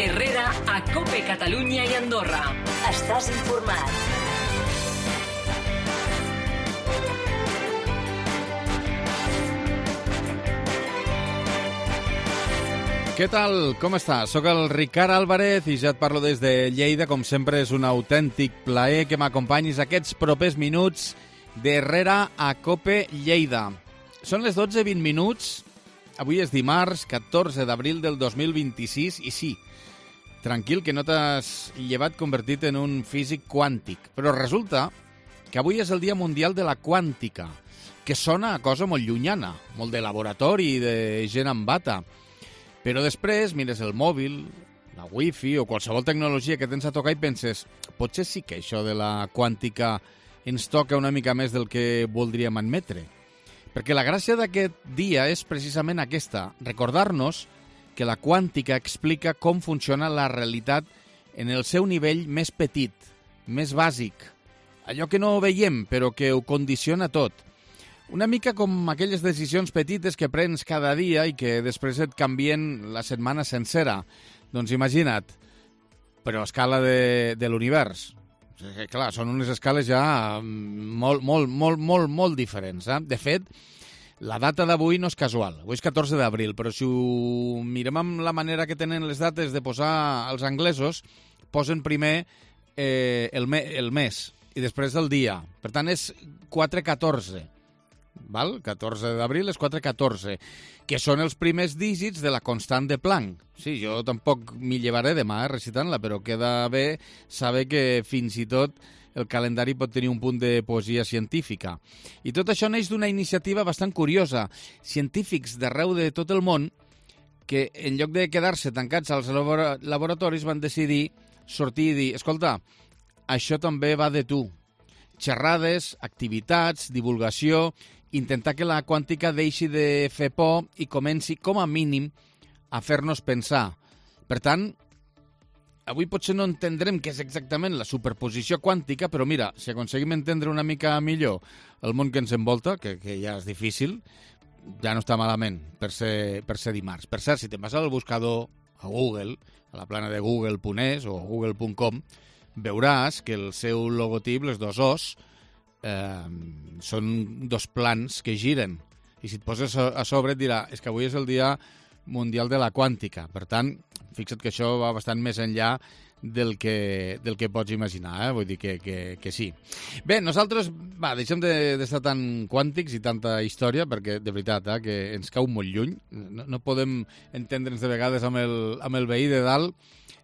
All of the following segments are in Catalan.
Herrera a COPE Catalunya i Andorra. Estàs informat. Què tal? Com estàs? Soc el Ricard Álvarez i ja et parlo des de Lleida. Com sempre, és un autèntic plaer que m'acompanyis aquests propers minuts d'Herrera a COPE Lleida. Són les 12:20 minuts. Avui és dimarts, 14 d'abril del 2026, i sí, tranquil, que no t'has llevat convertit en un físic quàntic. Però resulta que avui és el Dia Mundial de la Quàntica, que sona a cosa molt llunyana, molt de laboratori, de gent amb bata. Però després mires el mòbil, la wifi o qualsevol tecnologia que tens a tocar i penses, potser sí que això de la quàntica ens toca una mica més del que voldríem admetre. Perquè la gràcia d'aquest dia és precisament aquesta, recordar-nos que la quàntica explica com funciona la realitat en el seu nivell més petit, més bàsic, allò que no veiem però que ho condiciona tot. Una mica com aquelles decisions petites que prens cada dia i que després et canvien la setmana sencera. Doncs imagina't, però a escala de l'univers. Clar, són unes escales ja molt diferents. De fet, la data d'avui no és casual. Avui és 14 d'abril, però si ho mirem amb la manera que tenen les dates de posar els anglesos, posen primer el mes i després el dia. Per tant, és 4-14. Val? 14 d'abril és 4-14, que són els primers dígits de la constant de Planck. Sí, jo tampoc m'hi llevaré demà recitant-la, però queda bé saber que fins i tot el calendari pot tenir un punt de poesia científica. I tot això neix d'una iniciativa bastant curiosa. Científics d'arreu de tot el món que, en lloc de quedar-se tancats als laboratoris, van decidir sortir i dir, escolta, això també va de tu. Xerrades, activitats, divulgació, intentar que la quàntica deixi de fer por i comenci, com a mínim, a fer-nos pensar. Per tant, avui potser no entendrem què és exactament la superposició quàntica, però mira, si aconseguim entendre una mica millor el món que ens envolta, que ja és difícil, ja no està malament per ser dimarts. Per cert, si te'n vas al buscador a Google, a la plana de google.es o google.com, veuràs que el seu logotip, les dos os, són dos plans que giren. I si et poses a sobre et dirà és que avui és el Dia Mundial de la Quàntica. Per tant, fixa't que això va bastant més enllà del que pots imaginar, Vull dir que sí. Bé, nosaltres, deixem d'estar tan quàntics i tanta història, perquè de veritat que ens cau molt lluny. No podem entendre'ns de vegades amb el veí de dalt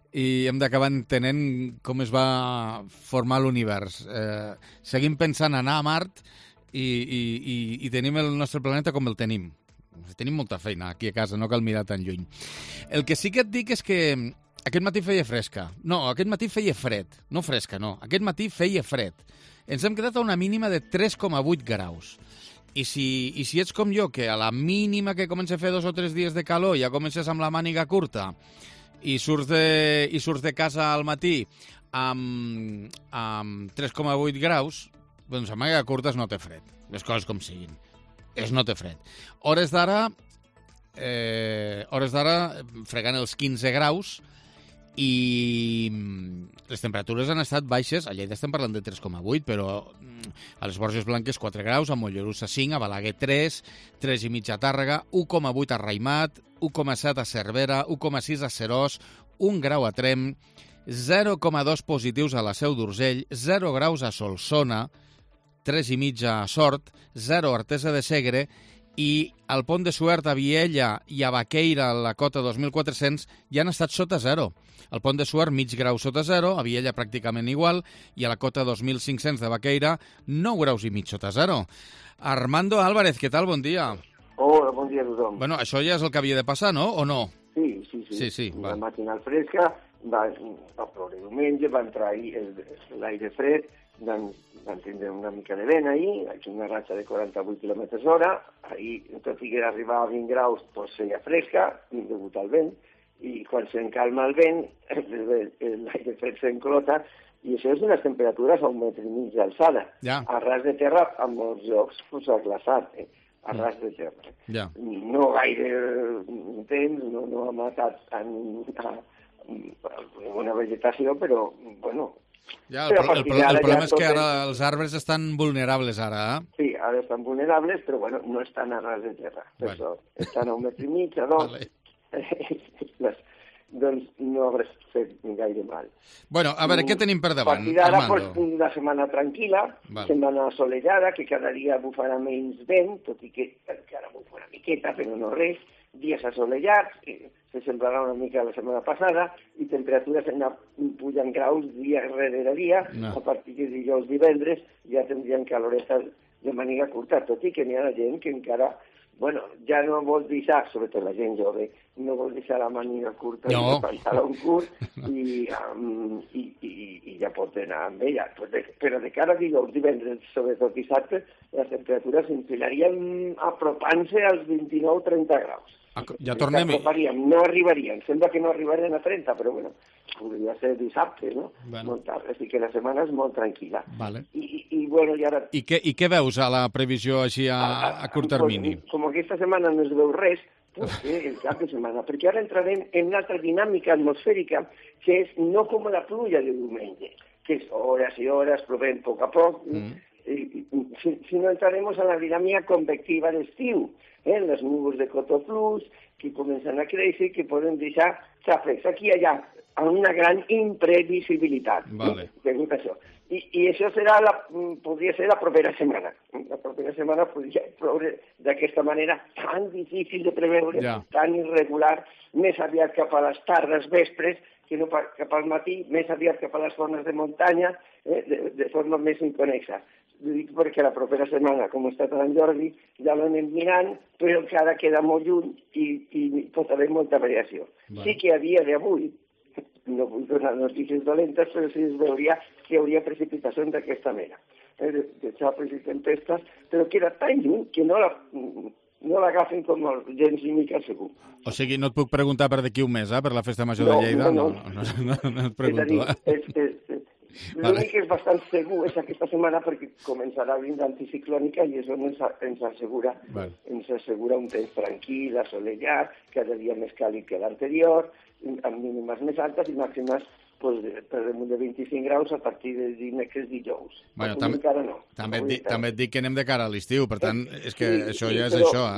i hem d'acabar entenent com es va formar l'univers. Seguim pensant anar a Mart i tenim el nostre planeta com el tenim. Tenim molta feina aquí a casa, no cal mirar tan lluny. El que sí que et dic és que aquest matí feia fresca. No, aquest matí feia fred. No fresca, no. Aquest matí feia fred. Ens hem quedat a una mínima de 3,8 graus. I si ets com jo, que a la mínima que comença a fer 2 o 3 dies de calor ja comences amb la màniga curta i surts de casa al matí amb 3,8 graus, doncs amb màniga curta es no té fred. Les coses com siguin. Es no té fred. Hores d'ara fregant els 15 graus i les temperatures han estat baixes. A Lleida estem parlant de 3,8, però a les Borges Blanques 4 graus, a Mollerussa 5, a Balaguer 3, 3,5 a Tàrrega, 1,8 a Raimat, 1,7 a Cervera, 1,6 a Seròs, 1 grau a Tremp, 0,2 positius a la Seu d'Urgell, 0 graus a Solsona, 3,5 a Sort, 0 a Artesa de Segre i al Pont de Suert, a Viella i a Baqueira, a la cota 2.400, ja han estat sota 0. Al Pont de Suert, mig grau sota 0, a Viella pràcticament igual, i a la cota 2.500 de Baqueira, 9 graus i mig sota 0. Armando Álvarez, què tal? Bon dia. Hola, bon dia a tothom. Bueno, això ja és el que havia de passar, no? O no? Sí. La matinal fresca, va ploure diumenge, va entrar l'aire fred, van tindre una mica de vent ahir, aquí una ratxa de 48 km hora, ahir, tot i que arribava a 20 graus, doncs feia fresca, degut al vent, i quan s'encalma el vent, l'aire fred s'enclota, i això és unes temperatures a 1,5 metre d'alçada. Ja. A ras de terra, a molts llocs, pues, ha glaçat, a ras de terra. Ja. No gaire temps, no ha matat una vegetació, però, bueno... Ja, el problema és que ara els arbres estan vulnerables, ara. Sí, ara estan vulnerables, però, bueno, no estan a ras de terra. Per això estan a 1,5 metres, a 2. Doncs no hauràs fet gaire mal. Bueno, a veure, què tenim per davant, Armando? A partir d'ara, una setmana tranquil·la, setmana assolellada, que cada dia bufarà menys vent, tot i que encara bufa una miqueta, però no res, dies assolellats, se semblarà una mica la setmana passada, i temperatures pugen graus dia rere dia, a partir de dijous, divendres, ja tindrien caloretes de màniga curta, tot i que n'hi ha gent que encara... Bueno, ja no vol deixar, sobretot la gent jove, no vol deixar la màniga curta, no pantaló curt, i ja pot anar amb ella. Però de cara a dijous, divendres, sobretot dissabte, les temperatures s'enfilarien apropant-se als 29-30 graus. Ja tornem... No arribarien, sembla que no arribarien a 30, però bueno, podria ser dissabte, no? Molt tard, així que la setmana és molt tranquil·la. I bueno, i ara... I què veus a la previsió així a curt termini? Com aquesta setmana no es veu res, doncs el cap de setmana, perquè ara entrarem en una altra dinàmica atmosfèrica que és no com la pluja de diumenge, que és hores i hores, plovent a poc a poc, sinó entraremos en la dinàmica convectiva d'estiu, les núvols de cotó flux, que comencen a créixer i que poden deixar xàfecs aquí i allà, amb una gran imprevisibilitat. Degut a això. I això podria ser la propera setmana. La propera setmana podria ploure d'aquesta manera tan difícil de preveure, tan irregular, més aviat cap a les tardes, vespres, que no cap al matí, més aviat cap a les zones de muntanya, de forma més inconexa. Ho dic perquè la propera setmana, com està Sant Jordi, ja l'anem mirant, però encara queda molt lluny i pot haver molta variació. Sí que a dia d'avui, no vull donar notícies dolentes, però sí es veuria que hi hauria precipitacions d'aquesta mena, de xapes i tempestes, però queda tan lluny que no l'agafen com gens ni mica segur. O sigui, no et puc preguntar per d'aquí un mes, per la Festa Major de Lleida? No et pregunto. L'únic que és bastant segur és aquesta setmana perquè començarà a vindre anticiclònica i això ens assegura un temps tranquil, assolellat, cada dia més càlid que l'anterior, amb mínimes més altes i màximes per damunt de 25 graus a partir de dimecres dijous. També et dic que anem de cara a l'estiu, per tant, és que això ja és això.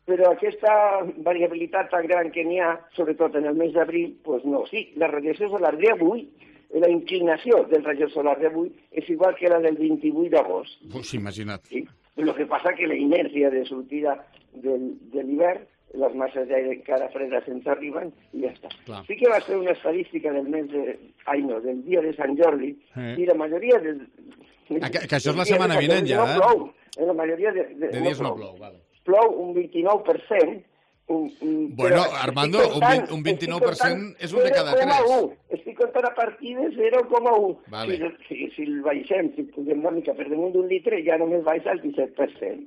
Però aquesta variabilitat tan gran que n'hi ha, sobretot en el mes d'abril, doncs no. Sí, la radiació solar d'avui, la inclinació del rayo solar d'avui és igual que la del 28 d'agost. Imagina't. Sí? El que passa que la inèrcia de sortida de l'hivern, les masses d'aire encara fredes ens arriben i ja està. Sí que va ser una estadística del del dia de Sant Jordi i la majoria de... Que això és la setmana vinent ja, eh? No plou. La majoria de dies no plou. Plou un 29%. Bueno, Armando, un 29% és un de cada 3. Estic contant a partir de 0,1. Si el baixem, si posem una mica per damunt d'un litre, ja només baixa el 17%.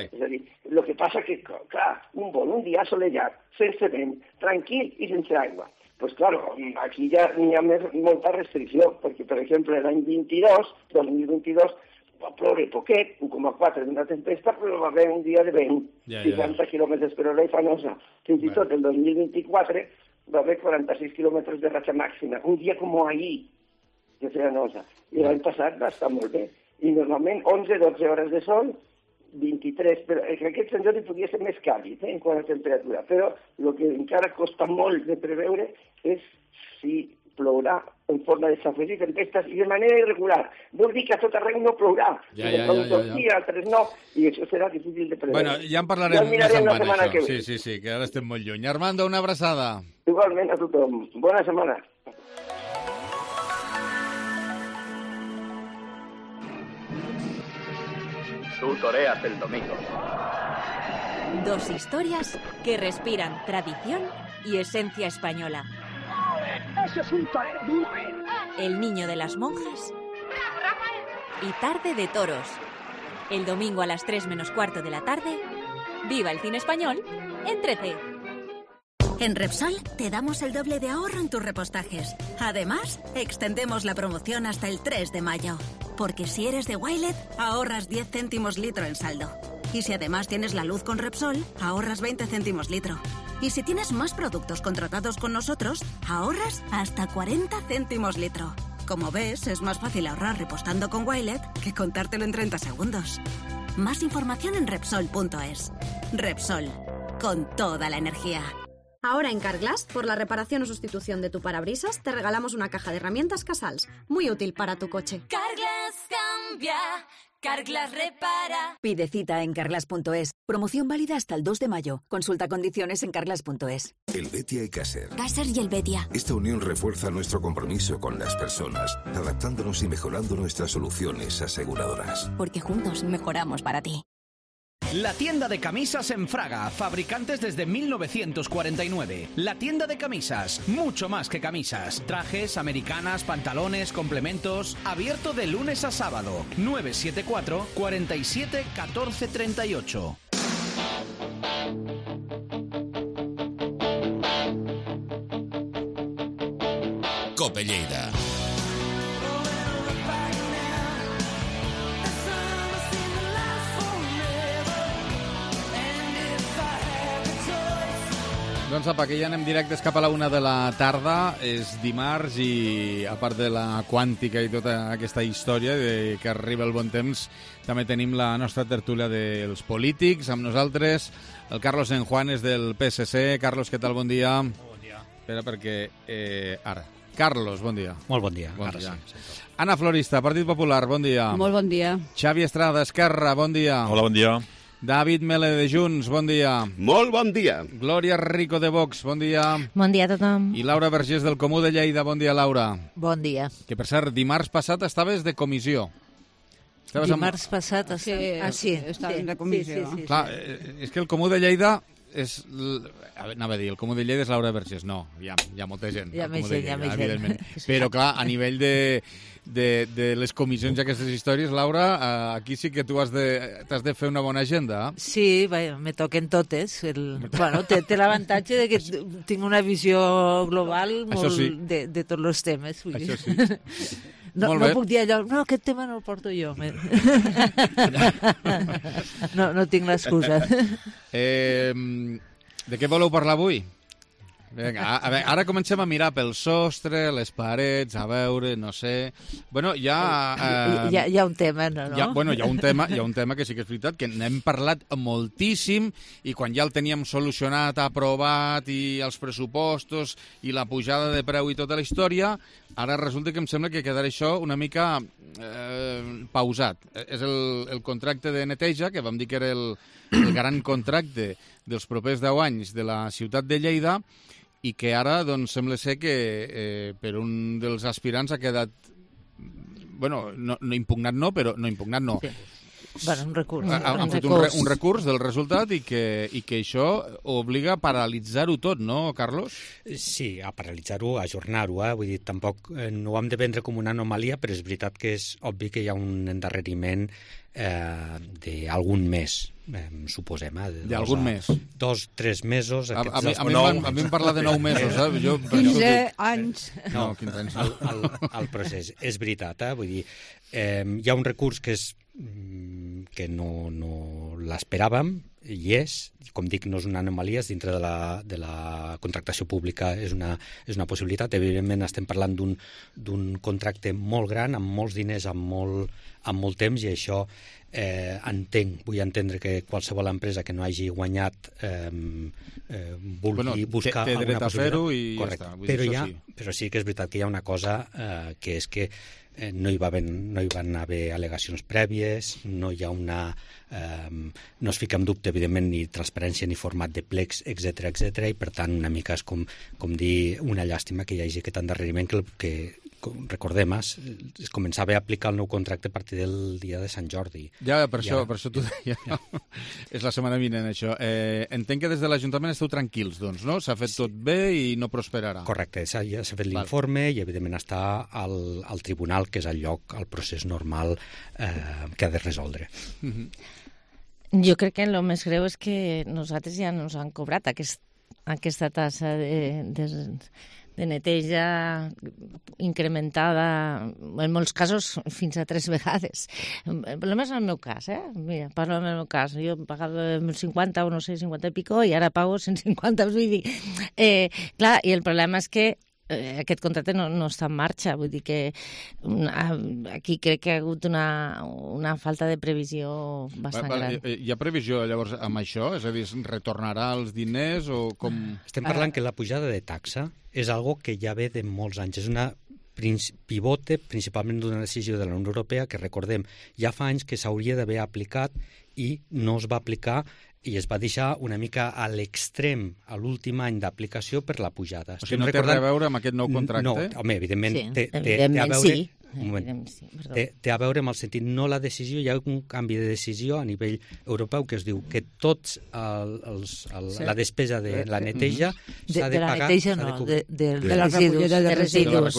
És a dir, el que passa que, clar, un dia assolellat, sense vent, tranquil i sense aigua. Doncs, clar, aquí ja n'hi ha molta restricció, perquè, per exemple, l'any 2022, va ploure poquet, 1,4 d'una tempesta, però va haver un dia de vent, 60 km per hora i fanosa. Fins i tot el 2024 va haver 46 km de ratxa màxima, un dia com ahir, de fanosa. I l'any passat va estar molt bé. I normalment 11-12 hores de sol, 23, però aquest Sant Jordi podria ser més càlid en quant a temperatura, però el que encara costa molt de preveure és si plourà en forma de xàfecs i tempestes i de manera irregular. Vol dir que a tot arreu no plourà. Altres no, i això serà difícil de preveure. Bueno, ja en parlarem més endavant, això. Sí, que ara estem molt lluny. Armando, una abraçada. Igualment a tothom. Bona setmana. Tú toreas el domingo. Dos historias que respiran tradición y esencia española. ¡Eso es un torero duro! El niño de las monjas y Tarde de Toros. El domingo a las 3 menos cuarto de la tarde, viva el cine español en 13. En Repsol te damos el doble de ahorro en tus repostajes. Además, extendemos la promoción hasta el 3 de mayo. Porque si eres de Wilet, ahorras 10 céntimos litro en saldo. Y si además tienes la luz con Repsol, ahorras 20 céntimos litro. Y si tienes más productos contratados con nosotros, ahorras hasta 40 céntimos litro. Como ves, es más fácil ahorrar repostando con Wilet que contártelo en 30 segundos. Más información en Repsol.es. Repsol, con toda la energía. Ahora en Carglass, por la reparación o sustitución de tu parabrisas, te regalamos una caja de herramientas Casals, muy útil para tu coche. Carglass cambia, Carglass repara. Pide cita en Carglass.es. Promoción válida hasta el 2 de mayo. Consulta condiciones en Carglass.es. Helvetia y Caser. Caser y Helvetia. Esta unión refuerza nuestro compromiso con las personas, adaptándonos y mejorando nuestras soluciones aseguradoras. Porque juntos mejoramos para ti. La tienda de camisas en Fraga, fabricantes desde 1949. La tienda de camisas, mucho más que camisas. Trajes, americanas, pantalones, complementos. Abierto de lunes a sábado. 974 47 14 38. Cope Lleida. Doncs apa, que ja anem directes cap a la 1 de la tarda. És dimarts i, a part de la quàntica i tota aquesta història de que arriba el bon temps, també tenim la nostra tertúlia dels polítics. Amb nosaltres el Carlos Enjuanes del PSC. Carlos, què tal? Bon dia. Bon dia. Espera, perquè... ara. Carlos, bon dia. Molt bon dia. Bon dia. Sí. Ana Florista, Partit Popular, bon dia. Molt bon dia. Xavi Estrada, Esquerra, bon dia. Hola, bon dia. David Mele de Junts, bon dia. Molt bon dia. Glòria Rico de Vox, bon dia. Bon dia a tothom. I Laura Vergés del Comú de Lleida, bon dia, Laura. Bon dia. Que, per cert, dimarts passat estaves de comissió. Dimarts passat... Sí, estaves de comissió. Sí. Clar, és que el Comú de Lleida és... Anava a dir, el Comú de Lleida és Laura Vergés. No, hi ha molta gent. Hi ha més gent. Però, clar, a nivell de les comissions i aquestes històries, Laura, aquí sí que tu t'has de fer una bona agenda. Sí, me toquen totes. Bueno, té l'avantatge de que tinc una visió global molt de tots els temes. Això sí. No puc dir allò, no, aquest tema no el porto jo. No tinc l'excusa. De què voleu parlar avui? Vinga, ara comencem a mirar pel sostre, les parets, a veure, no sé... Bueno, hi ha un tema, no? Hi ha un tema que sí que és veritat, que n'hem parlat moltíssim i quan ja el teníem solucionat, aprovat, i els pressupostos, i la pujada de preu i tota la història, ara resulta que em sembla que quedarà això una mica pausat. És el contracte de neteja, que vam dir que era el gran contracte dels propers 10 anys de la ciutat de Lleida, i que ara doncs, sembla ser que per un dels aspirants ha quedat... Bueno, no impugnat no, però no impugnat no. Sí. Bueno, un recurs. Han fet un recurs del resultat i que això obliga a paralitzar-ho tot, no, Carlos? Sí, a paralitzar-ho, a ajornar-ho. Vull dir, tampoc no ho hem de prendre com una anomalia, però és veritat que és obvi que hi ha un endarreriment d'algun mes, suposem. D'algun mes? 2-3 mesos. A mi em parla de 9 mesos. 15 anys. No, 15 anys. El procés. És veritat, vull dir, hi ha un recurs que no l'esperàvem, i com dic, no és una anomalia, dintre de la contractació pública és una possibilitat. Evidentment estem parlant d'un contracte molt gran, amb molts diners, amb molt temps, i això vull entendre que qualsevol empresa que no hagi guanyat vulgui buscar té dret a fer-ho i correcte. Ja està. Però sí que és veritat que hi ha una cosa que és que no hi van haver al·legacions prèvies, no hi ha no es fica en dubte, evidentment, ni transparència ni format de plecs, etc, i per tant una mica és com dir una llàstima que hi hagi aquest endarreriment que recordem, es començava a aplicar el nou contracte a partir del dia de Sant Jordi. Ja, per això t'ho deia. Ja. És la setmana vinent, això. Entenc que des de l'Ajuntament esteu tranquils, doncs, no? S'ha fet tot bé i no prosperarà. Correcte, ja s'ha fet l'informe i, evidentment, està al tribunal, que és el lloc, el procés normal que ha de resoldre. Jo crec que el més greu és que nosaltres ja ens han cobrat aquesta tassa de neteja incrementada, en molts casos fins a 3 vegades. Només en el meu cas, Mira, parlo en el meu cas. Jo pagava 50 o no sé, 50 i pico, i ara pago 150, vull dir. Clar, i el problema és que aquest contracte no està en marxa, vull dir que aquí crec que hi ha hagut una falta de previsió bastant gran. Hi ha previsió llavors amb això? És a dir, retornarà els diners o com... Estem parlant que la pujada de taxa és algo que ja ve de molts anys, és una pivote principalment d'una decisió de la Unió Europea que, recordem, ja fa anys que s'hauria d'haver aplicat i no es va aplicar i es va deixar una mica a l'extrem a l'últim any d'aplicació per la pujada. O sigui, no té res a veure amb aquest nou contracte? No, home, evidentment, té a veure... Sí. Té a veure amb el sentit, no la decisió, hi ha un canvi de decisió a nivell europeu que es diu que tots la despesa de la neteja s'ha de pagar... De la neteja no, de la recollida de residus.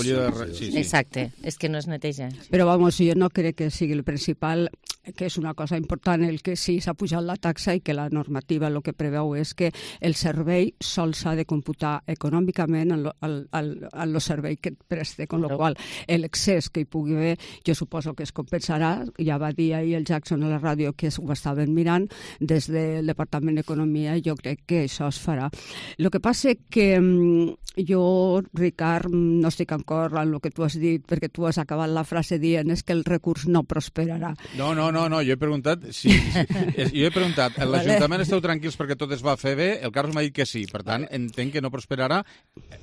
Exacte, és que no és neteja. Però, vamos, jo no crec que sigui el principal, que és una cosa important, el que sí s'ha pujat la taxa i que la normativa el que preveu és que el servei sols s'ha de computar econòmicament en el servei que et preste, con lo qual l'excés que hi pugui haver, jo suposo que es compensarà. Ja va dir ahir el Jackson a la ràdio que ho estaven mirant des del Departament d'Economia, i jo crec que això es farà. El que passa que jo, Ricard, no estic d'acord amb el que tu has dit, perquè tu has acabat la frase dient és que el recurs no prosperarà. No, jo he preguntat l'Ajuntament esteu tranquils perquè tot es va fer bé, el Carlos m'ha dit que sí, per tant, entenc que no prosperarà,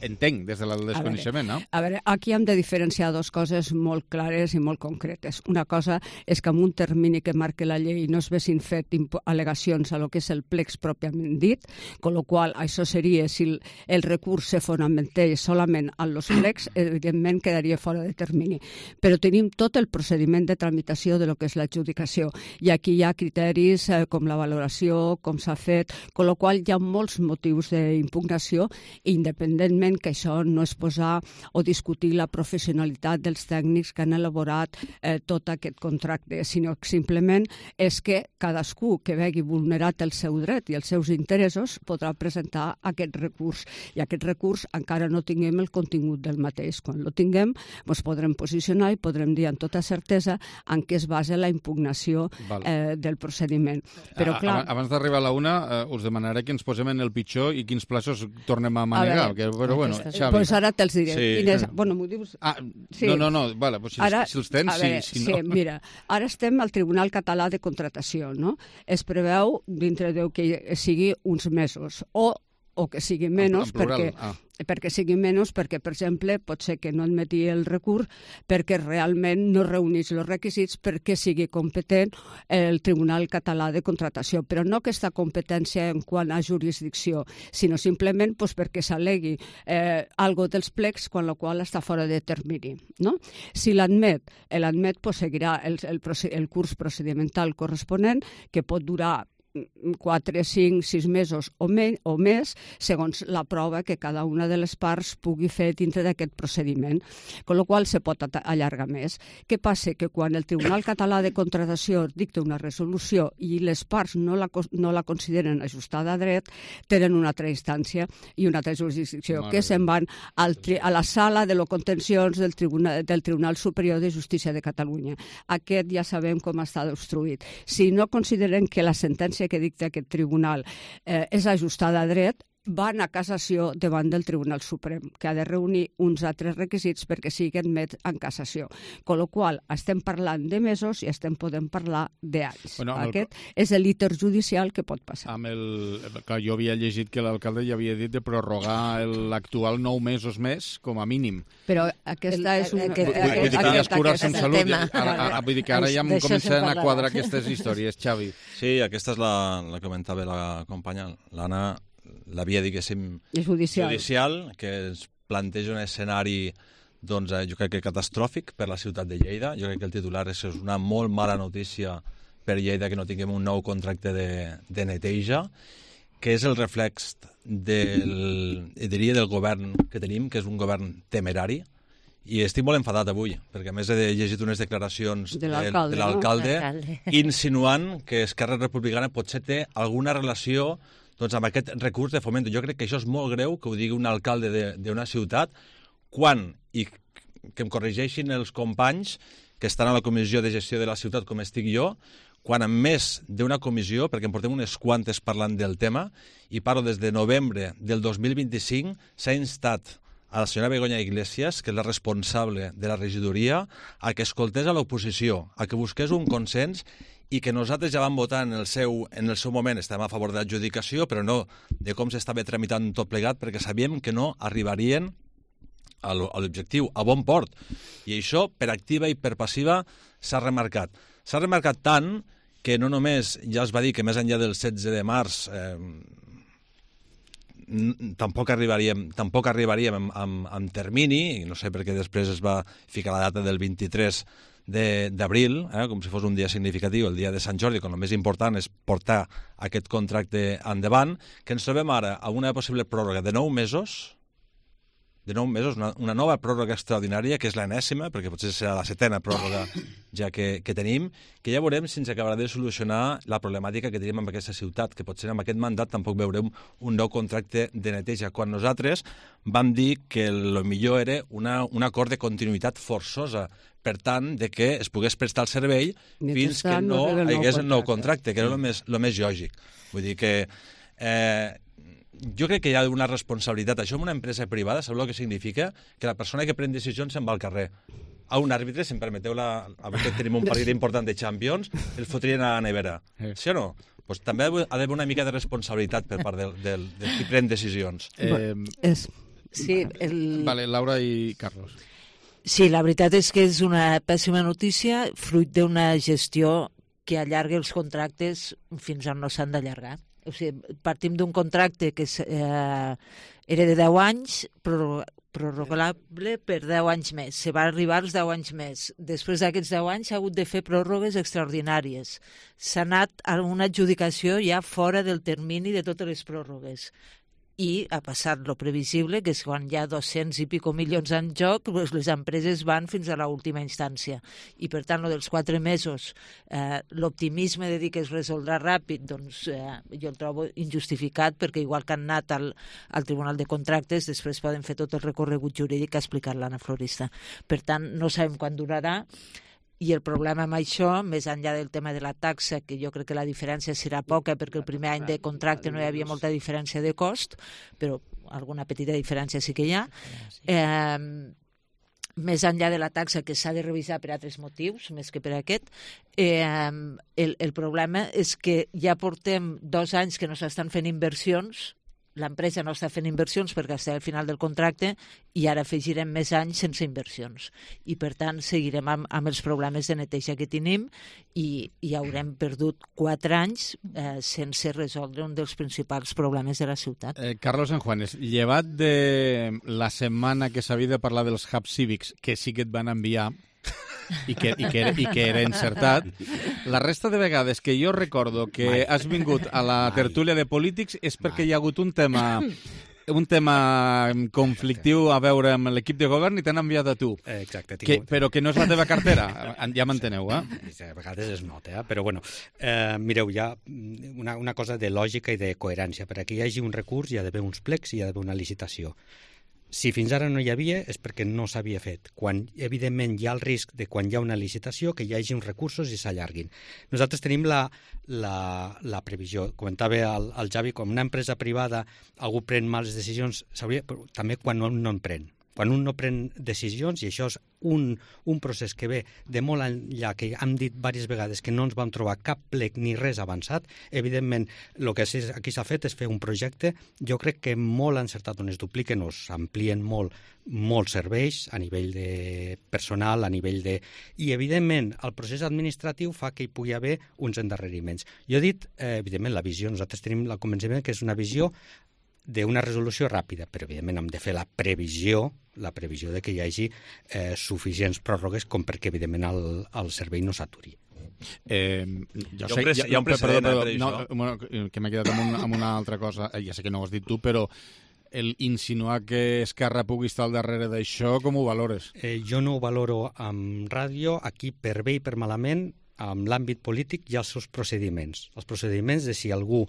entenc, des del desconeixement, no? A veure, aquí hem de diferenciar dues coses molt clares i molt concretes. Una cosa és que amb un termini que marca la llei no es vessin fet al·legacions a lo que és el plecs pròpiament dit, con lo qual això seria, si el recurs se fonamentés solament en els plecs, evidentment quedaria fora de termini. Però tenim tot el procediment de tramitació de lo que és l'adjudicació, i aquí hi ha criteris com la valoració, com s'ha fet, con lo qual hi ha molts motius d'impugnació, independentment que això no és posar o discutir la professionalitat dels tècnics que han elaborat tot aquest contracte, sinó que simplement és que cadascú que vegi vulnerat el seu dret i els seus interessos podrà presentar aquest recurs, i aquest recurs encara no tinguem el contingut del mateix. Quan lo tinguem, ens podrem posicionar i podrem dir amb tota certesa en què es basa la impugnació del procediment. Però, clar... Abans d'arribar a la una, us demanaré que ens posem en el pitjor i quins plaços tornem a manegar. Però bueno, Xavi... Doncs ara te'ls diré. Bueno, m'ho dius... No, vale, pues si els tens, si no... Sí, mira, ara estem al Tribunal Català de Contratació, no? Es preveu dintre de que sigui uns mesos, o que sigui menys, perquè sigui menys, perquè, per exemple, pot ser que no admeti el recurs perquè realment no reuneix els requisits perquè sigui competent el Tribunal Català de Contratació, però no aquesta competència en quant a jurisdicció, sinó simplement perquè s'al·legui algo dels plecs, quan la qual està fora de termini. No? Si l'admet, seguirà el curs procedimental corresponent, que pot durar 4, 5, 6 mesos o més, segons la prova que cada una de les parts pugui fer dintre d'aquest procediment, amb la qual se pot allargar més. Què passa? Que quan el Tribunal Català de Contratació dicta una resolució i les parts no la consideren ajustada a dret, tenen una altra instància i una altra jurisdicció, que se'n van a la sala de lo contenciós del Tribunal Superior de Justícia de Catalunya. Aquest ja sabem com està obstruït. Si no consideren que la sentència que dicta aquest tribunal és ajustada a dret, van a cassació davant del Tribunal Suprem, que ha de reunir uns altres requisits perquè sigui admet en cassació. Con la qual estem parlant de mesos i podem parlar d'anys. Aquest és l'interjudicial que pot passar. Jo havia llegit que l'alcalde ja havia dit de prorrogar l'actual 9 mesos més, com a mínim. Però aquesta és una... Vull dir que ja es curar en salut. Vull dir que ara ja comencen a quadrar aquestes històries, Xavi. Sí, aquesta és la que comentava la companya, l'Anna, la via, diguéssim, judicial, que ens planteja un escenari, doncs, jo crec que catastròfic per la ciutat de Lleida. Jo crec que el titular és una molt mala notícia per Lleida que no tinguem un nou contracte de neteja, que és el reflex del govern que tenim, que és un govern temerari. I estic molt enfadat avui, perquè a més he llegit unes declaracions de l'alcalde insinuant que Esquerra Republicana potser té alguna relació doncs, amb aquest recurs de Fomento. Jo crec que això és molt greu, que ho digui un alcalde d'una ciutat, quan, i que em corregeixin els companys que estan a la comissió de gestió de la ciutat com estic jo, quan en més d'una comissió, perquè en portem unes quantes parlant del tema, i parlo des de novembre del 2025, s'ha instat a la senyora Begoña Iglesias, que és la responsable de la regidoria, a que escoltés a l'oposició, a que busqués un consens i que nosaltres ja vam votar en el seu moment, estem a favor de l'adjudicació, però no de com s'estava tramitant tot plegat, perquè sabíem que no arribarien a l'objectiu, a bon port. I això, per activa i per passiva, s'ha remarcat. S'ha remarcat tant que no només ja es va dir que més enllà del 16 de març tampoc arribaríem amb termini, i no sé per què després es va ficar la data del 23 d'abril, com si fos un dia significatiu, el dia de Sant Jordi, quan el més important és portar aquest contracte endavant, que ens trobem ara a una possible pròrroga de 9 mesos, una nova pròrroga extraordinària, que és l'enèsima, perquè potser serà la 7ª pròrroga ja que tenim, que ja veurem si ens acabarà de solucionar la problemàtica que tenim amb aquesta ciutat, que potser amb aquest mandat tampoc veurem un nou contracte de neteja, quan nosaltres vam dir que el millor era un acord de continuïtat forçosa, per tant, de que es pogués prestar el servei fins que no hi hagués el nou contracte, que era el més lògic. Vull dir que jo crec que hi ha una responsabilitat. Això en una empresa privada, sabeu el que significa? Que la persona que pren decisions se'n va al carrer. A un àrbitre, si em permeteu, avui que tenim un partit important de Champions, el fotrien a la nevera. Sí o no? Pues també ha d'haver una mica de responsabilitat per part del qui pren decisions. Sí, Vale, Laura i Carlos. Sí, la veritat és que és una pèssima notícia, fruit d'una gestió que allarga els contractes fins on no s'han d'allargar. O sigui, partim d'un contracte que era de 10 anys, prorrogable per 10 anys més. Se va arribar als 10 anys més. Després d'aquests 10 anys s'ha hagut de fer pròrrogues extraordinàries. S'ha anat a una adjudicació ja fora del termini de totes les pròrrogues. I ha passat lo previsible, que és quan hi ha 200 i pico milions en joc, les empreses van fins a l'última instància. I, per tant, lo dels 4 mesos, l'optimisme de dir que es resoldrà ràpid, doncs jo el trobo injustificat, perquè igual que han anat al Tribunal de Contractes, després poden fer tot el recorregut jurídic que ha explicat l'Anna Florista. Per tant, no sabem quan durarà. I el problema amb això, més enllà del tema de la taxa, que jo crec que la diferència serà poca, perquè el primer any de contracte no hi havia molta diferència de cost, però alguna petita diferència sí que hi ha. Més enllà de la taxa, que s'ha de revisar per altres motius, més que per aquest, el problema és que ja portem 2 anys que no s'estan fent inversions, l'empresa no està fent inversions perquè està al final del contracte i ara afegirem més anys sense inversions. I, per tant, seguirem amb els problemes de neteja que tenim i haurem perdut 4 anys sense resoldre un dels principals problemes de la ciutat. Carlos Sanjuanes, llevat de la setmana que s'havia de parlar dels hubs cívics, que sí que et van enviar, i que era encertat. La resta de vegades que jo recordo que has vingut a la tertúlia de polítics és perquè hi ha hagut un tema conflictiu a veure amb l'equip de govern i t'han enviat a tu. Exacte. Però que no és la teva cartera, ja m'enteneu, A vegades es nota, però bueno, mireu, hi ha una cosa de lògica i de coherència. Per a que hi hagi un recurs hi ha d'haver uns plecs i hi ha d'haver una licitació. Si fins ara no hi havia és perquè no s'havia fet. Quan, evidentment, hi ha el risc de quan hi ha una licitació que hi hagi uns recursos i s'allarguin. Nosaltres tenim la previsió. Comentava el Javi, com una empresa privada algú pren males decisions, també quan no en pren. Quan un no pren decisions, i això és un procés que ve de molt enllà, que hem dit diverses vegades que no ens vam trobar cap plec ni res avançat, evidentment el que aquí s'ha fet és fer un projecte, jo crec que molt encertat, on es dupliquen o s'amplien molts serveis a nivell de personal, a nivell de... I, evidentment, el procés administratiu fa que hi pugui haver uns endarreriments. Jo he dit, evidentment, la visió, nosaltres tenim el convenciment que és una visió d'una resolució ràpida, però evidentment hem de fer la previsió de que hi hagi suficients pròrrogues com perquè evidentment el servei no s'aturi. Hi ha un precedent per això. Que m'he quedat amb una altra cosa, ja sé que no ho has dit tu, però el insinuar que Esquerra pugui estar al darrere d'això, com ho valores? Jo no ho valoro amb ràdio, aquí per bé i per malament. en l'àmbit polític hi ha els seus procediments. Els procediments de si algú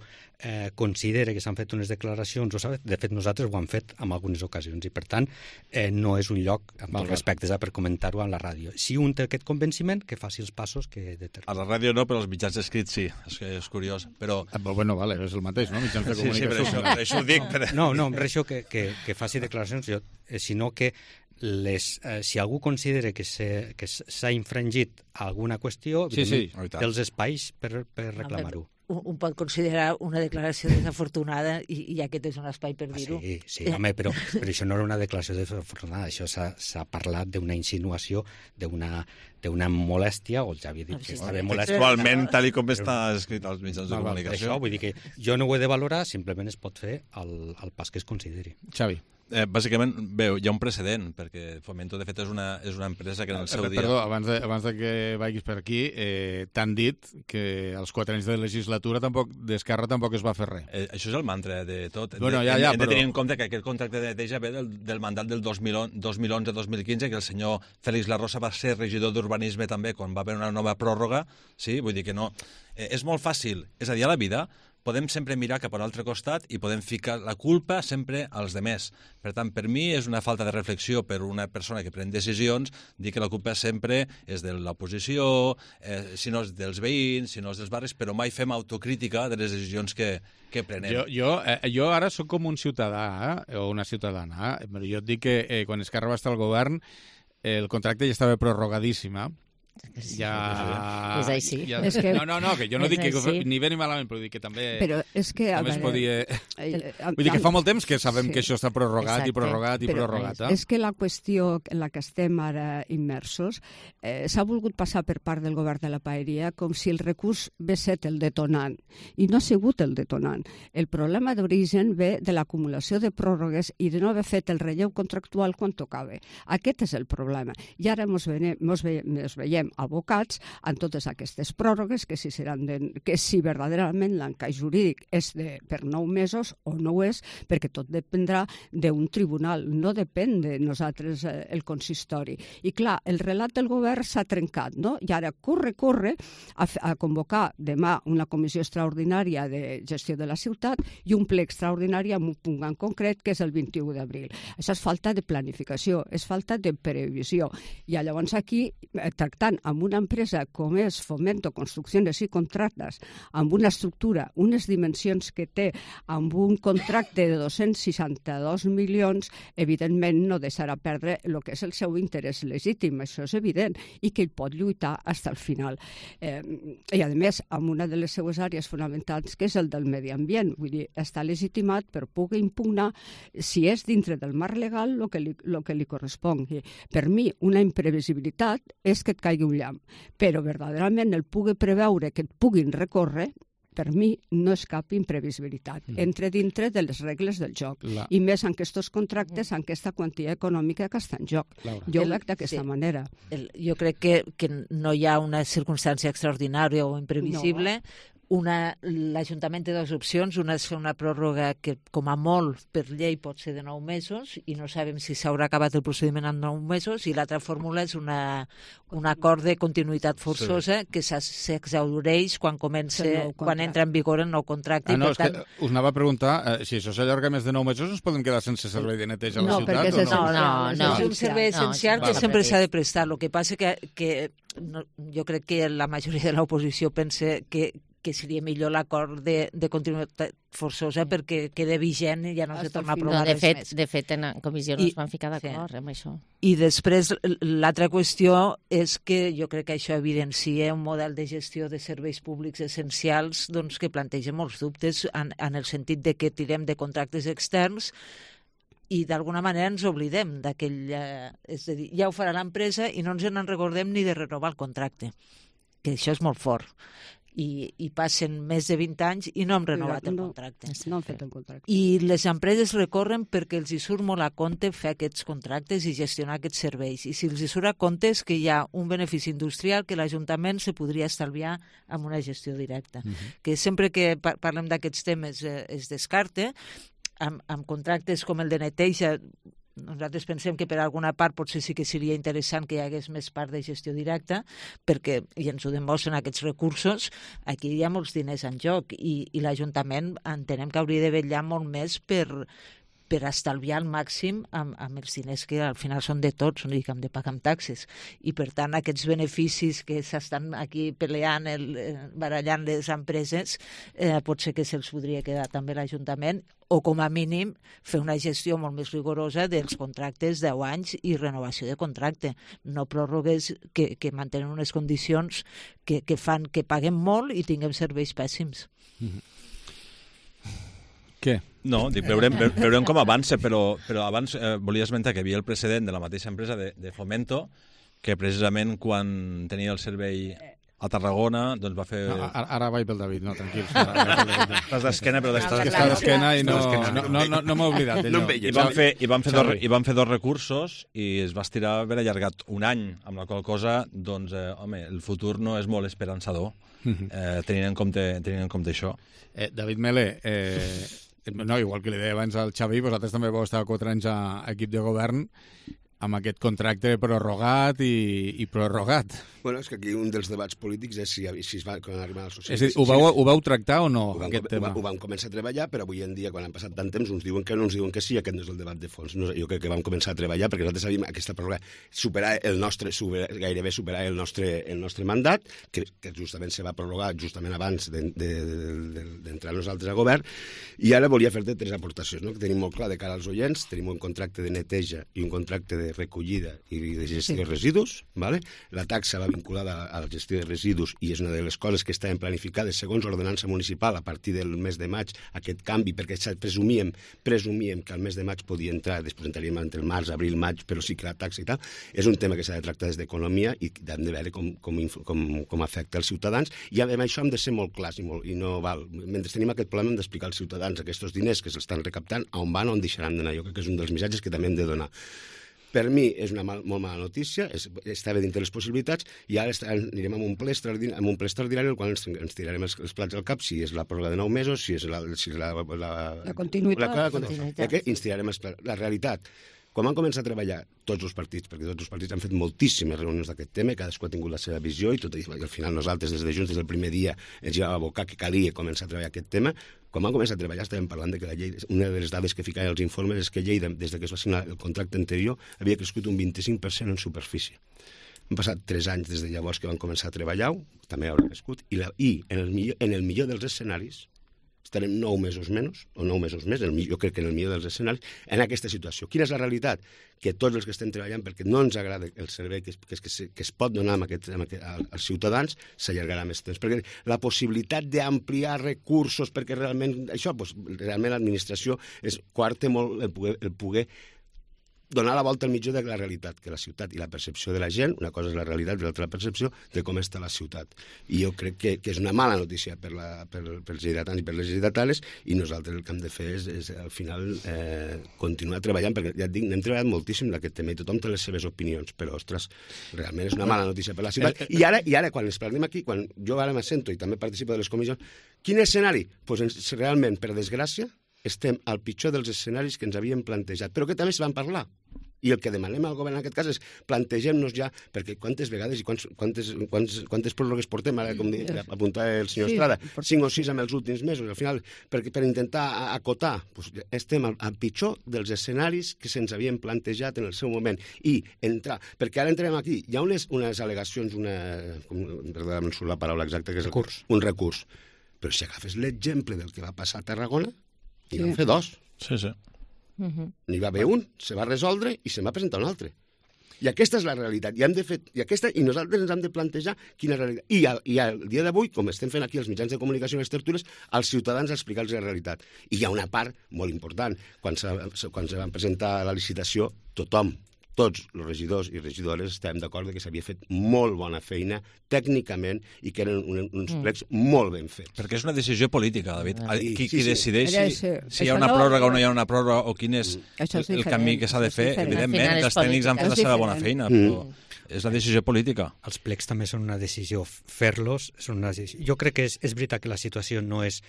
considera que s'han fet unes declaracions, de fet nosaltres ho hem fet en algunes ocasions i per tant no és un lloc, amb tots respectes, per comentar-ho a la ràdio. Si un té aquest convenciment, que faci els passos que determina. A la ràdio no, però als mitjans escrits sí, és curiós. Però... Bueno, vale, és el mateix, no? Mitjans de comunicació. Sí, per això ho dic. No, per això que faci declaracions, sinó que si algú considera que s'ha infringit alguna qüestió, els espais per reclamar-ho. Un pot considerar una declaració desafortunada i aquest és un espai per dir-ho. Sí, home, però això no era una declaració desafortunada, això s'ha parlat d'una insinuació, d'una molèstia, o ja havia dit que estava molèstia. Actualment, tal com està escrit als mitjans de comunicació. Això, vull dir que jo no ho he de valorar, simplement es pot fer el pas que es consideri. Xavi. Bàsicament, hi ha un precedent, perquè Fomento, de fet, és una empresa que en el seu dia... Perdó, abans de que vagis per aquí, t'han dit que als 4 anys de legislatura d'Esquerra tampoc es va fer res. Això és el mantra de tot. Bueno, hem de tenir en compte que aquest contracte de neteja ve del mandat del 2011-2015, que el senyor Félix Larrosa va ser regidor d'Urbanisme també, quan va haver una nova pròrroga. Sí, vull dir que no... És molt fàcil. És a dir, a la vida podem sempre mirar cap a l'altre costat i podem ficar la culpa sempre als demés. Per tant, per mi és una falta de reflexió per una persona que pren decisions dir que la culpa sempre és de l'oposició, si no és dels veïns, si no és dels barris, però mai fem autocrítica de les decisions que prenem. Jo ara sóc com un ciutadà o una ciutadana, però jo et dic que quan Esquerra va estar al govern el contracte ja estava prorrogadíssima. És així. No, que jo no dic que ni bé ni malament, però dic que també es podia... Vull dir que fa molt temps que sabem que això està prorrogat i prorrogat. És que la qüestió en la que estem ara immersos s'ha volgut passar per part del govern de la Paeria com si el recurs ve set el detonant, i no ha sigut el detonant. El problema d'origen ve de l'acumulació de pròrrogues i de no haver fet el relleu contractual quan tocava. Aquest és el problema. I ara mos veiem abocats en totes aquestes pròrrogues que si verdaderament l'encaix jurídic és per 9 mesos o no ho és, perquè tot dependrà d'un tribunal, no depèn de nosaltres el consistori. I clar, el relat del govern s'ha trencat, no? I ara corre a convocar demà una comissió extraordinària de gestió de la ciutat i un ple extraordinari amb un punt en concret que és el 21 d'abril. Això és falta de planificació, és falta de previsió. I llavors aquí, tractant amb una empresa com és Fomento Construcciones i Contractes, amb una estructura, unes dimensions que té, amb un contracte de 262 milions, evidentment no deixarà perdre el que és el seu interès legítim, això és evident, i que ell pot lluitar fins al final. I a més, amb una de les seues àrees fonamentals, que és el del medi ambient, vull dir, està legitimat per poder impugnar si és dintre del marc legal el que li correspongui. Per mi, una imprevisibilitat és que et caigui un llamp, però verdaderament el pugui preveure que et puguin recórrer, per mi no és cap imprevisibilitat. Entra dintre de les regles del joc. I més en aquests contractes, en aquesta quantia econòmica que està en joc. Jo ho veig d'aquesta manera. Jo crec que no hi ha una circumstància extraordinària o imprevisible. L'Ajuntament té dues opcions. Una és fer una pròrroga que, com a molt, per llei pot ser de 9 mesos i no sabem si s'haurà acabat el procediment en 9 mesos, i l'altra fórmula és un acord de continuïtat forçosa que s'exhaureix quan entra en vigor el nou contracte. És que us anava a preguntar, si això s'allarga més de 9 mesos, ens podem quedar sense servei de neteja a la ciutat? No, és un servei essencial que sempre s'ha de prestar. El que passa que jo crec que la majoria de l'oposició pensa que seria millor l'acord de continuïtat forçosa perquè queda vigent i ja no se torna a aprovar res més. De fet, en la comissió no es van ficar d'acord amb això. I després, l'altra qüestió és que jo crec que això evidencia un model de gestió de serveis públics essencials que planteja molts dubtes en el sentit de que tirem de contractes externs i d'alguna manera ens oblidem d'aquell... És a dir, ja ho farà l'empresa i no ens en recordem ni de renovar el contracte, que això és molt fort. I passen més de 20 anys i no hem renovat el contracte. No han fet el contracte. I les empreses recorren perquè els hi surt molt a compte fer aquests contractes i gestionar aquests serveis. I si els hi surt a compte és que hi ha un benefici industrial que l'Ajuntament se podria estalviar amb una gestió directa. Que sempre que parlem d'aquests temes es descarta. Amb contractes com el de neteja nosaltres pensem que per alguna part potser sí que seria interessant que hi hagués més part de gestió directa, perquè, i ens ho demostren aquests recursos, aquí hi ha molts diners en joc i l'Ajuntament entenem que hauria de vetllar molt més per estalviar al màxim amb els diners que al final són de tots, no dic que hem de pagar amb taxes. I per tant aquests beneficis que s'estan aquí peleant, barallant les empreses, potser que se'ls podria quedar també l'Ajuntament, o com a mínim fer una gestió molt més rigorosa dels contractes 10 anys i renovació de contracte. No pròrrogues que mantenen unes condicions que fan que paguem molt i tinguem serveis pèssims. Què? No, dic, veurem com avança, però abans volia esmentar que hi havia el precedent de la mateixa empresa de Fomento, que precisament quan tenia el servei a Tarragona, doncs va fer... Ara vaig pel David, no, tranquil. Estàs d'esquena, però estàs d'esquena i no m'he oblidat. I van fer 2 recursos i es va estirar haver allargat un any, amb la qual cosa, doncs, home, el futur no és molt esperançador, tenint en compte això. David Mele, no, igual que li deia abans al Xavi, vosaltres també vau estar 4 anys a equip de govern amb aquest contracte prorrogat i prorrogat. Bueno, és que aquí un dels debats polítics és si es va arribar als socialistes... És a dir, ho vau tractar o no, aquest tema? Ho vam començar a treballar, però avui en dia, quan han passat tant temps, uns diuen que no, uns diuen que sí, aquest no és el debat de fons. Jo crec que vam començar a treballar perquè nosaltres sabíem aquesta pròrroga gairebé superar el nostre mandat, que justament se va prorrogar justament abans d'entrar nosaltres a govern, i ara volia fer-te 3 aportacions, que tenim molt clar de cara als oients. Tenim un contracte de neteja i un contracte de recollida i de gestió de residus. La taxa va vinculada a la gestió de residus i és una de les coses que estaven planificades segons l'ordenança municipal a partir del mes de maig, aquest canvi, perquè presumíem que al mes de maig podia entrar, després entraríem entre el març, abril, maig, però sí que la taxa i tal. És un tema que s'ha de tractar des d'economia i hem de veure com afecta els ciutadans, i amb això hem de ser molt clars i no val. Mentre tenim aquest problema hem d'explicar als ciutadans aquests diners que s'estan recaptant, on van, on deixaran d'anar. Jo crec que és un dels missatges que també hem de donar. Per mi és una molt mala notícia, estava dintre les possibilitats, i ara anirem amb un ple extraordinari en el qual ens tirarem els plats al cap, si és la pròrroga de 9 mesos, si és la continuïtat. Ens tirarem els plats. La realitat, quan van començar a treballar tots els partits, perquè tots els partits han fet moltíssimes reunions d'aquest tema, cadascú ha tingut la seva visió, i al final nosaltres des de Junts, des del primer dia, ens hi vam abocar que calia començar a treballar aquest tema. Quan vam començar a treballar estàvem parlant que la llei, una de les dades que ficaven als informes és que Lleida, des que es va signar el contracte anterior, havia crescut un 25% en superfície. Han passat 3 anys des de llavors que van començar a treballar, també haurà crescut, i en el millor dels escenaris estarem 9 mesos menys, o 9 mesos més, jo crec que en el millor dels escenaris, en aquesta situació. Quina és la realitat? Que tots els que estem treballant, perquè no ens agrada el servei que es pot donar als ciutadans, s'allargarà més temps. Perquè la possibilitat d'ampliar recursos, perquè realment realment l'administració coarta molt el poder donar la volta al mitjà de la realitat, que la ciutat i la percepció de la gent, una cosa és la realitat i l'altra la percepció de com està la ciutat. I jo crec que és una mala notícia pels lleidatans i per les lleidatanes, i nosaltres el que hem de fer és al final continuar treballant, perquè ja et dic, n'hem treballat moltíssim d'aquest tema i tothom té les seves opinions, però, ostres, realment és una mala notícia per la ciutat. I ara quan ens parlem aquí, quan jo ara m'assento i també participo de les comissions, quin escenari? Doncs realment, per desgràcia, estem al pitjor dels escenaris que ens havíem plantejat, però que també es van parlar. I el que demanem al govern en aquest cas és plantegem-nos ja, perquè quantes vegades i quantes pròrrogues portem, ara com apuntava el senyor Estrada, 5 o 6 en els últims mesos, al final, per intentar acotar, estem al pitjor dels escenaris que se'ns havien plantejat en el seu moment, i entrar, perquè ara entrem aquí, hi ha unes al·legacions, perdó, em surt la paraula exacta, que és un recurs, però si agafes l'exemple del que va passar a Tarragona, hi van fer 2. Sí. N'hi va haver un, se va resoldre i se'n va presentar un altre. I aquesta és la realitat. I nosaltres ens hem de plantejar quina és la realitat. I al dia d'avui, com estem fent aquí els mitjans de comunicació i les tertúlies, als ciutadans explicar-los la realitat. I hi ha una part molt important. Quan se van presentar la licitació, tots els regidors i regidores estàvem d'acord que s'havia fet molt bona feina tècnicament i que eren uns plecs molt ben fets. Perquè és una decisió política, David. Qui decideix si hi ha una pròrroga o no hi ha una pròrroga o quin és el camí que s'ha de fer, evidentment, els tècnics han fet la seva bona feina, però és la decisió política. Els plecs també són una decisió. Fer-los són una decisió. Jo crec que és veritat que la situació no és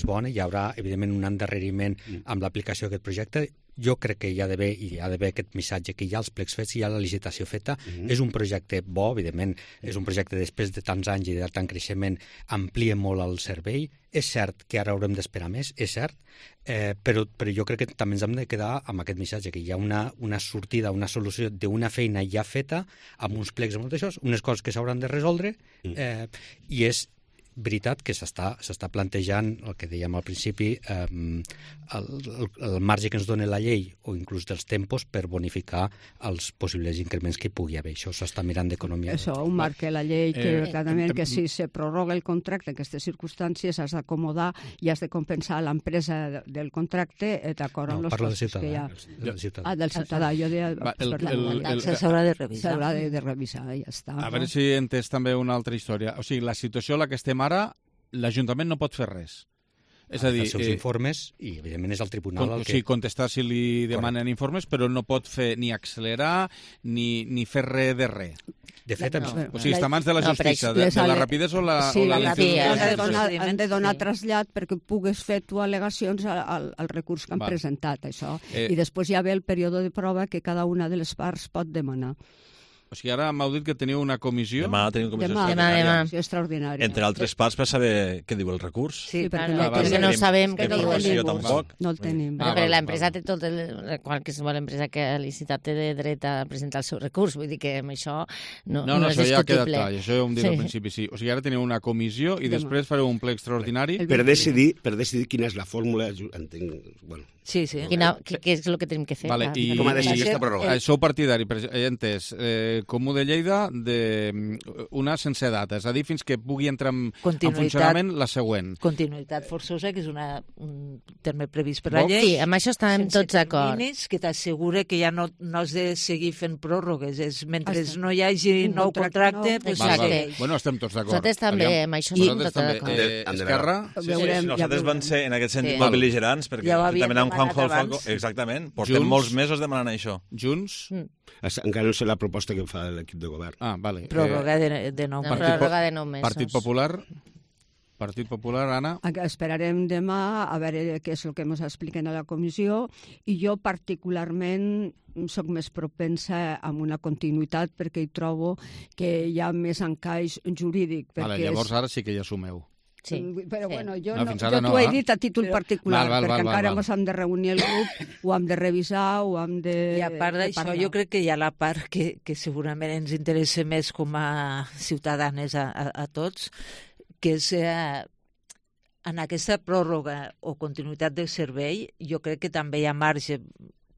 bona, hi haurà, evidentment, un endarreriment amb l'aplicació d'aquest projecte. jo crec que hi ha d'haver aquest missatge, que hi ha els plecs fets, hi ha la licitació feta. És un projecte bo, evidentment, és un projecte després de tants anys i de tant creixement, amplia molt el servei. És cert que ara haurem d'esperar més, és cert, però jo crec que també ens hem de quedar amb aquest missatge, que hi ha una sortida, una solució d'una feina ja feta, amb uns plecs molt d'això, unes coses que s'hauran de resoldre, i és veritat que s'està plantejant el que dèiem al principi, el marge que ens dona la llei o inclús dels tempos per bonificar els possibles increments que hi pugui haver. Això s'està mirant d'economia. Això ho marca la llei, que clarament que si se prorroga el contracte en aquestes circumstàncies has d'acomodar i has de compensar l'empresa del contracte d'acord amb els costos que hi ha. Del ciutadà. Ah, del ciutadà. Jo deia... S'haurà de revisar. S'haurà de revisar, ja està. A veure si he entès també una altra història. O sigui, la situació en la que estem ara, l'Ajuntament no pot fer res. És a dir, els seus informes, i evidentment és el tribunal el que... Sí, contestar si li demanen informes, però no pot fer ni accelerar ni fer res de res. De fet, o sigui, està a mans de la justícia, de la rapidesa o la... Sí, han de donar trasllat perquè pugues fer tu al·legacions al recurs que han presentat, això. I després hi ha el període de prova que cada una de les parts pot demanar. O sigui, ara m'heu dit que teniu una comissió... Demà tenim una comissió extraordinària. Entre altres parts per saber què diu el recurs. Sí, perquè no sabem què diu el recurs. No el tenim. Però l'empresa té tot qualsevol empresa que ha licitat té dret a presentar el seu recurs. Vull dir que amb això no és discutible. Això ja ha quedat clar, això ja ho hem dit al principi, sí. O sigui, ara teniu una comissió i després fareu un ple extraordinari... Per decidir quina és la fórmula, entenc... Bueno, sí. Què és el que tenim que fer? Vale, com ha de ser aquesta pròrroga? Sou partidari, he entès, Comú de Lleida, una sense data, és a dir, fins que pugui entrar en funcionament la següent. Continuïtat forçosa, que és un terme previst per la llei. Sí, amb això estem tots d'acord. Que t'assegura que ja no has de seguir fent pròrrogues. Mentre no hi hagi nou contracte... Bueno, estem tots d'acord. Nosaltres també, amb això estem tots d'acord. Esquerra? Nosaltres van ser, en aquest sentit, molt bel·ligerants, perquè també amb Juanjo Alfonso, exactament, portem molts mesos demanant això. Junts? Encara no sé la proposta que fa l'equip de govern. Ah, vale. Pròrroga de 9 mesos. Pròrroga de 9 mesos. Partit Popular, Anna? Esperarem demà a veure què és el que ens expliquen a la comissió, i jo particularment soc més propensa a una continuïtat perquè hi trobo que hi ha més encaix jurídic. Llavors ara sí que ja assumeu. Sí. Però bueno, jo t'ho he dit a títol particular, perquè encara ens hem de reunir el grup, ho hem de revisar, ho hem de... I a part d'això, jo crec que hi ha la part que segurament ens interessa més com a ciutadanes a tots, que és en aquesta pròrroga o continuïtat del servei, jo crec que també hi ha marge,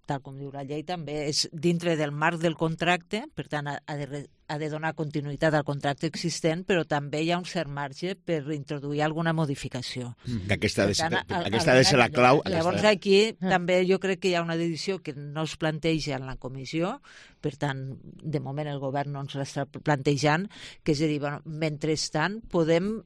tal com diu la llei, també és dintre del marc del contracte, per tant ha de donar continuïtat al contracte existent, però també hi ha un cert marge per introduir alguna modificació. Aquesta ha de ser la clau. Llavors aquí també jo crec que hi ha una decisió que no es planteja en la comissió, per tant, de moment el govern no ens l'està plantejant, que és a dir, mentrestant podem...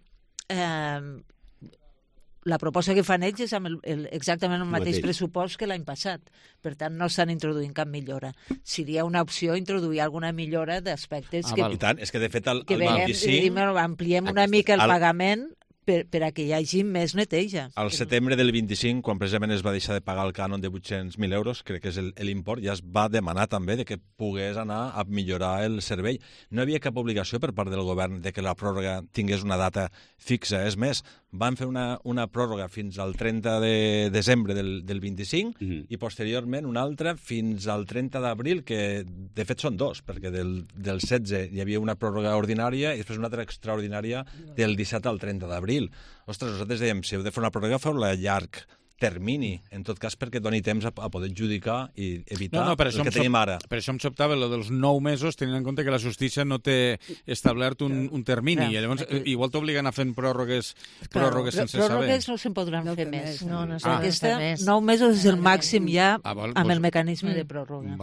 La proposta que fan ells és amb exactament el mateix pressupost que l'any passat. Per tant, no estan introduint cap millora. Seria una opció introduir alguna millora d'aspectes que... I tant, és que de fet el 25... Ampliem una mica el pagament per a que hi hagi més neteja. Al setembre del 25, quan precisament es va deixar de pagar el cànon de 800.000 euros, crec que és l'import, ja es va demanar també de que pogués anar a millorar el servei. No hi havia cap obligació per part del govern de que la pròrroga tingués una data fixa. És més, van fer una pròrroga fins al 30 de desembre del 25 i posteriorment una altra fins al 30 d'abril, que de fet són dos, perquè del 16 hi havia una pròrroga ordinària i després una altra extraordinària del 17 al 30 d'abril. Ostres, nosaltres dèiem, si heu de fer una pròrroga, feu-la a llarg termini, en tot cas perquè doni temps a poder adjudicar i evitar el que tenim ara. Per això em sobtava el dels 9 mesos, tenint en compte que la justícia no té establert un termini, i llavors igual t'obliguen a fer pròrrogues sense saber. Pròrrogues no se'n podran fer més. Aquesta 9 mesos és el màxim ja amb el mecanisme de pròrroga.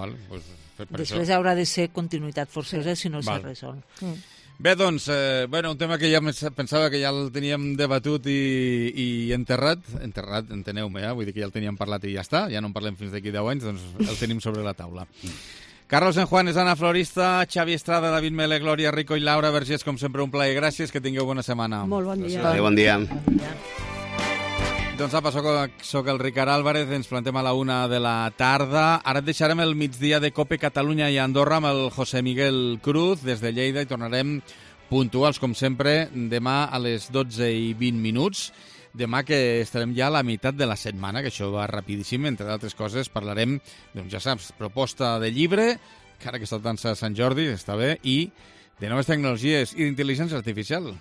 Després haurà de ser continuïtat forçosa si no s'ha resolt. Bé, doncs, un tema que ja pensava que ja el teníem debatut i enterrat, enteneu-me, vull dir que ja el teníem parlat i ja està, ja no en parlem fins d'aquí 10 anys, doncs el tenim sobre la taula. Carlos Enjuanes, Anna Florista, Xavi Estrada, David Mele, Glòria Rico i Laura Vergés, com sempre un plaer. Gràcies, que tingueu bona setmana. Molt bon dia. Bon dia. Doncs apa, soc el Ricard Álvarez, ens plantem a la 1 de la tarda. Ara et deixarem el migdia de Cope Catalunya i Andorra amb el José Miguel Cruz des de Lleida i tornarem puntuals, com sempre, demà a les 12:20. Demà que estarem ja a la meitat de la setmana, que això va rapidíssim, entre d'altres coses parlarem, doncs ja saps, proposta de llibre, que ara que està tant Sant Jordi, està bé, i de noves tecnologies i d'intel·ligència artificial.